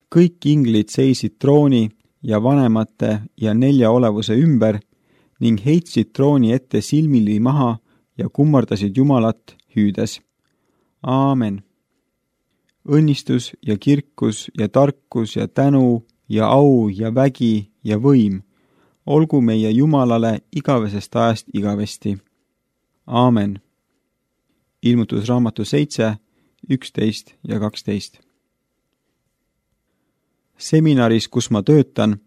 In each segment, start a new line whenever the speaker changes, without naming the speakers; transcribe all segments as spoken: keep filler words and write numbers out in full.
kõik inglid seisid trooni ja vanemate ja nelja olevuse ümber ning heitsid trooni ette silmili maha ja kummardasid Jumalat hüüdes. Aamen. Õnnistus ja kirkus ja tarkus ja tänu ja au ja vägi ja võim olgu meie Jumalale igavesest ajast igavesti. Aamen. Ilmutusraamatu seitse, üksteist ja kaksteist. Seminaris, kus ma töötan,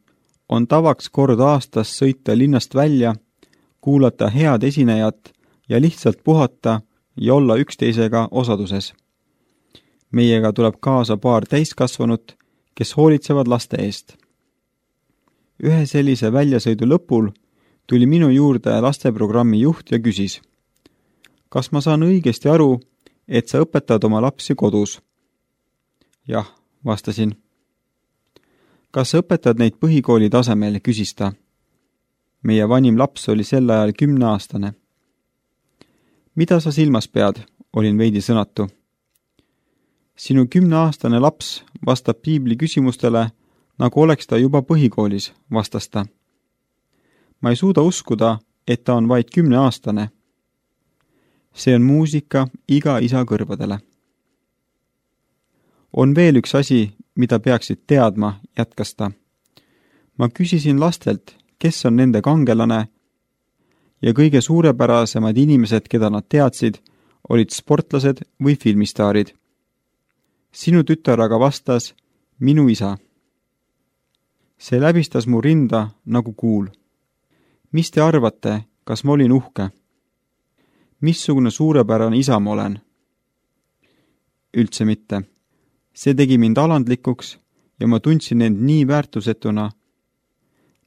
on tavaks kord aastas sõita linnast välja, kuulata head esinejat ja lihtsalt puhata ja olla üksteisega osaduses. Meiega tuleb kaasa paar täiskasvanut, kes hoolitsevad laste eest. Ühe sellise väljasõidu lõpul tuli minu juurde lasteprogrammi juht ja küsis, kas ma saan õigesti aru, et sa õpetad oma lapsi kodus? Jah, vastasin. Kas sa õpetad neid põhikooli tasemel, küsis ta. Meie vanim laps oli sel ajal kümneaastane. Mida sa silmas pead, olin veidi sõnatu. Sinu kümneaastane laps vastab piibli küsimustele, nagu oleks ta juba põhikoolis, vastas ta. Ma ei suuda uskuda, et ta on vaid kümneaastane. See on muusika iga isa kõrvadele. On veel üks asi, mida peaksid teadma, jätkas ta. Ma küsisin lastelt, kes on nende kangelane, ja kõige suurepärasemad inimesed, keda nad teadsid, olid sportlased või filmistaarid. Sinu tütar aga vastas, minu isa. See läbistas mu rinda nagu kuul. Mis te arvate, kas ma olin uhke? Missugune suurepärane isa ma olen? Üldse mitte. See tegi mind alandlikuks ja ma tundsin end nii väärtusetuna.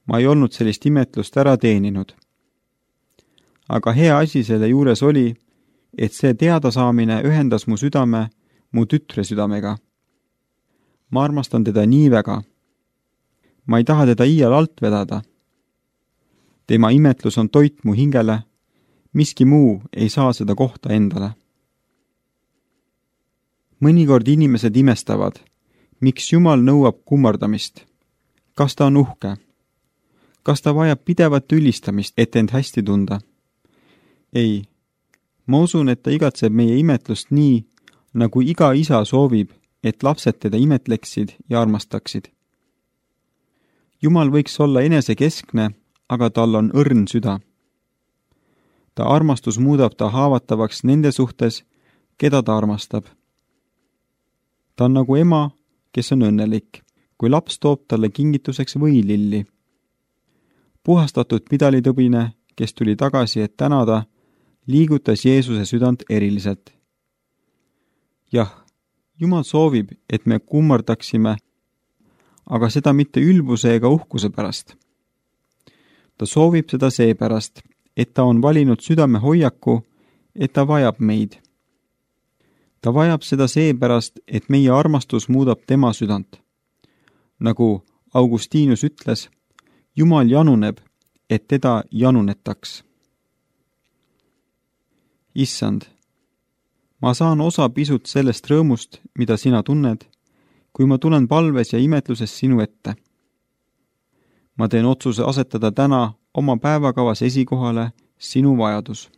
Ma ei olnud sellist imetlust ära teeninud. Aga hea asi selle juures oli, et see teadasaamine ühendas mu südame mu tütre südamega. Ma armastan teda nii väga. Ma ei taha teda iial alt vedada. Tema imetlus on toit mu hingele, miski muu ei saa seda kohta endale. Mõnikord inimesed imestavad, miks Jumal nõuab kummardamist. Kas ta on uhke? Kas ta vajab pidevat ülistamist, et end hästi tunda? Ei, ma usun, et ta igatseb meie imetlust nii, nagu iga isa soovib, et lapsed teda imetleksid ja armastaksid. Jumal võiks olla enesekeskne, aga tal on õrn süda. Ta armastus muudab ta haavatavaks nende suhtes, keda ta armastab. Ta on nagu ema, kes on õnnelik, kui laps toob talle kingituseks võililli. Puhastatud pidalitõbine, kes tuli tagasi, et tänada, liigutas Jeesuse südant eriliselt. Jah, Jumal soovib, et me kummardaksime, aga seda mitte ülbuse ega uhkuse pärast. Ta soovib seda seepärast, et ta on valinud südame hoiaku, et ta vajab meid. Ta vajab seda seepärast, et meie armastus muudab tema südant. Nagu Augustinus ütles, Jumal januneb, et teda janunetaks. Issand, ma saan osa pisut sellest rõõmust, mida sina tunned, kui ma tulen palves ja imetluses sinu ette. Ma teen otsuse asetada täna oma päevakavas esikohale sinu vajadus.